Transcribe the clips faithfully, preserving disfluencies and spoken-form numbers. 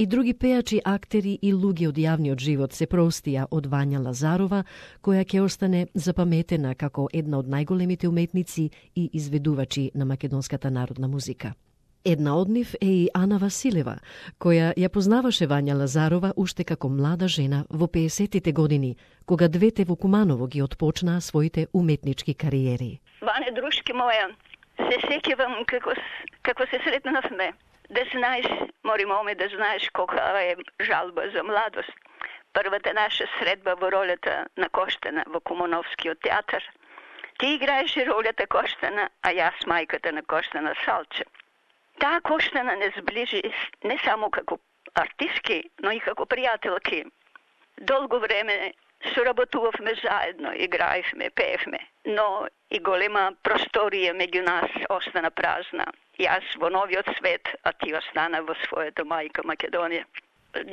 И други пејачи, актери и луѓе од јавниот живот се простија од Вања Лазарова, која ќе остане запаметена како една од најголемите уметници и изведувачи на македонската народна музика. Една од нив е и Ана Василева, која ја познаваше Вања Лазарова уште како млада жена во пеесеттите години, кога двете во Куманово ги отпочнаа своите уметнички кариери. Ване, дружки моја, се сеќавам како, како се сретнавме. Да знаеш, мори моме, да знаеш колка е жалба за младост. Првата наша средба во ролята на Коштана во Кумановскиот театар. Ти играеше ролята Коштана, а јас мајката на Коштана Салче. Таа Коштана не сближи не само како артистки, но и како пријателки. Долго време соработувавме заедно, играевме, пеевме, но и голема просторија меѓу нас остана празна. Јас во новиот свет, а ти остана во својата мајка Македонија.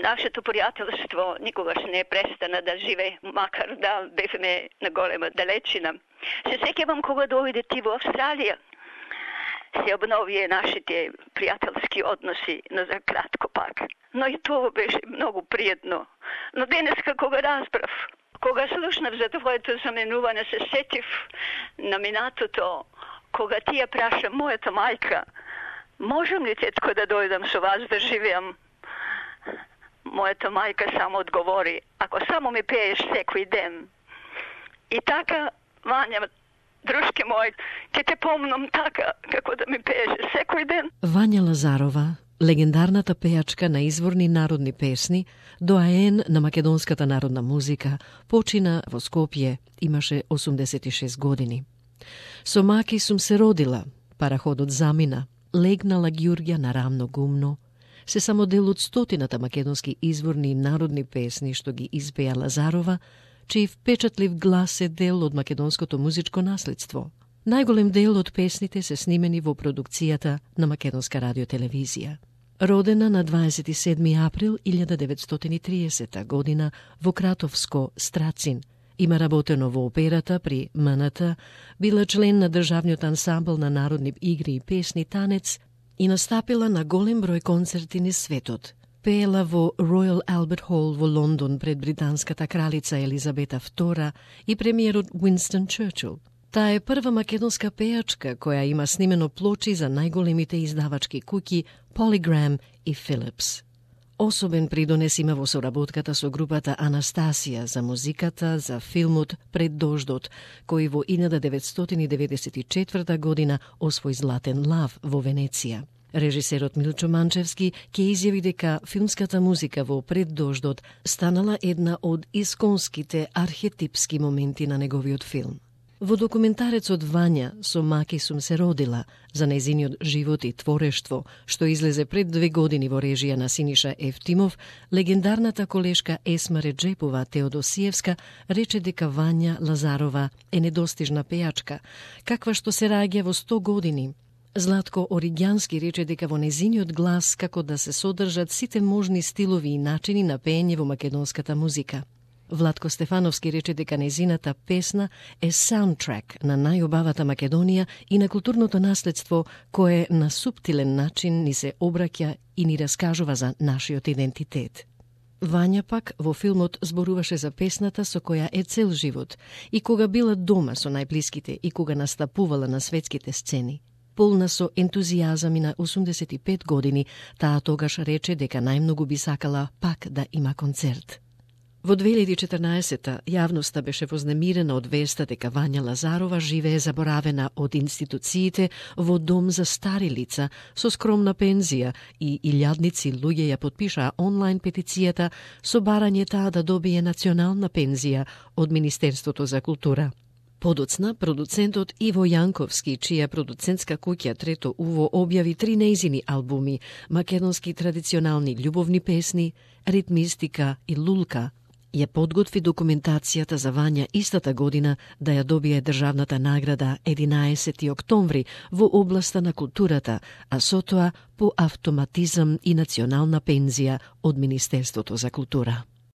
Нашето пријателство никогаш не престана да живее, макар да бевме на голема далечина. Се сеќавам кога дојде ти во Австралија. Се обновија нашите пријателски односи, но за кратко пак. Но и тоа беше многу пријатно. Но денеска кога разбрав, кога слушнав за твоето заменување, се сетив на минатото, кога ти ја праша мојата мајка, можам ли, тетко, да дојдам со вас да живеам? Мојата мајка само одговори, ако само ми пееш секој ден. И така, Вања, дружки мој, ке те помнам така, како да ми пееше секој ден. Вања Лазарова, легендарната пејачка на изворни народни песни, доаен на македонската народна музика, почина во Скопје, имаше осумдесет и шест години. Со маки сум се родила, параходот замина, легнала Ѓурѓа на рамно гумно, се само дел од стотината македонски изворни народни песни што ги испеја Лазарова, чиј впечатлив глас е дел од македонското музичко наследство. Најголем дел од песните се снимени во продукцијата на Македонска радиотелевизија. Родена на дваесет и седми април илјада деветстотини и триесета година во Кратовско, Страцин, има работено во операта при М Н Т, била член на државниот ансамбл на народни игри и песни Танец и настапила на голем број концерти низ светот. Пеела во Royal Albert Hall во Лондон пред британската кралица Елизабета втора и премиерот Уинстон Черчил. Таа е прва македонска пејачка која има снимено плочи за најголемите издавачки куќи Polygram и Philips. Особен придонес има во соработката со групата Анастасија за музиката за филмот Пред дождот, кој во илјада деветстотини деветдесет и четврта година освои Златен лав во Венеција. Режисерот Милчо Манчевски ќе изјави дека филмската музика во Пред дождот станала една од исконските архетипски моменти на неговиот филм. Во документарецот Вања со маки сум се родила за нејзиниот живот и творештво, што излезе пред две години во режија на Синиша Евтимов, легендарната колешка Есма Реджепова Теодосиевска рече дека Вања Лазарова е недостижна пејачка, каква што се раѓа во сто години. Златко Оригјански рече дека во нејзиниот глас како да се содржат сите можни стилови и начини на пеење во македонската музика. Владко Стефановски рече дека нејзината песна е саундтрек на најубавата Македонија и на културното наследство кое на суптилен начин ни се обраќа и ни раскажува за нашиот идентитет. Вања пак во филмот зборуваше за песната со која е цел живот и кога била дома со најблиските и кога настапувала на светските сцени. Полна со ентузијазам и на осумдесет и пет години, таа тогаш рече дека најмногу би сакала пак да има концерт. Во две илјади и четрнаесета јавноста беше вознемирена од веста дека Вања Лазарова живее заборавена од институциите во дом за стари лица со скромна пензија и илјадници луѓе ја потпишаа онлайн петицијата со барање таа да добие национална пензија од Министерството за култура. Подоцна, продуцентот Иво Јанковски, чија продуцентска куќа Трето уво објави три нејзини албуми, македонски традиционални љубовни песни, ритмистика и лулка, ја подготви документацијата за Вања истата година да ја добие државната награда единаесети октомври во областа на културата, а со тоа по автоматизам и национална пензија од Министерството за култура.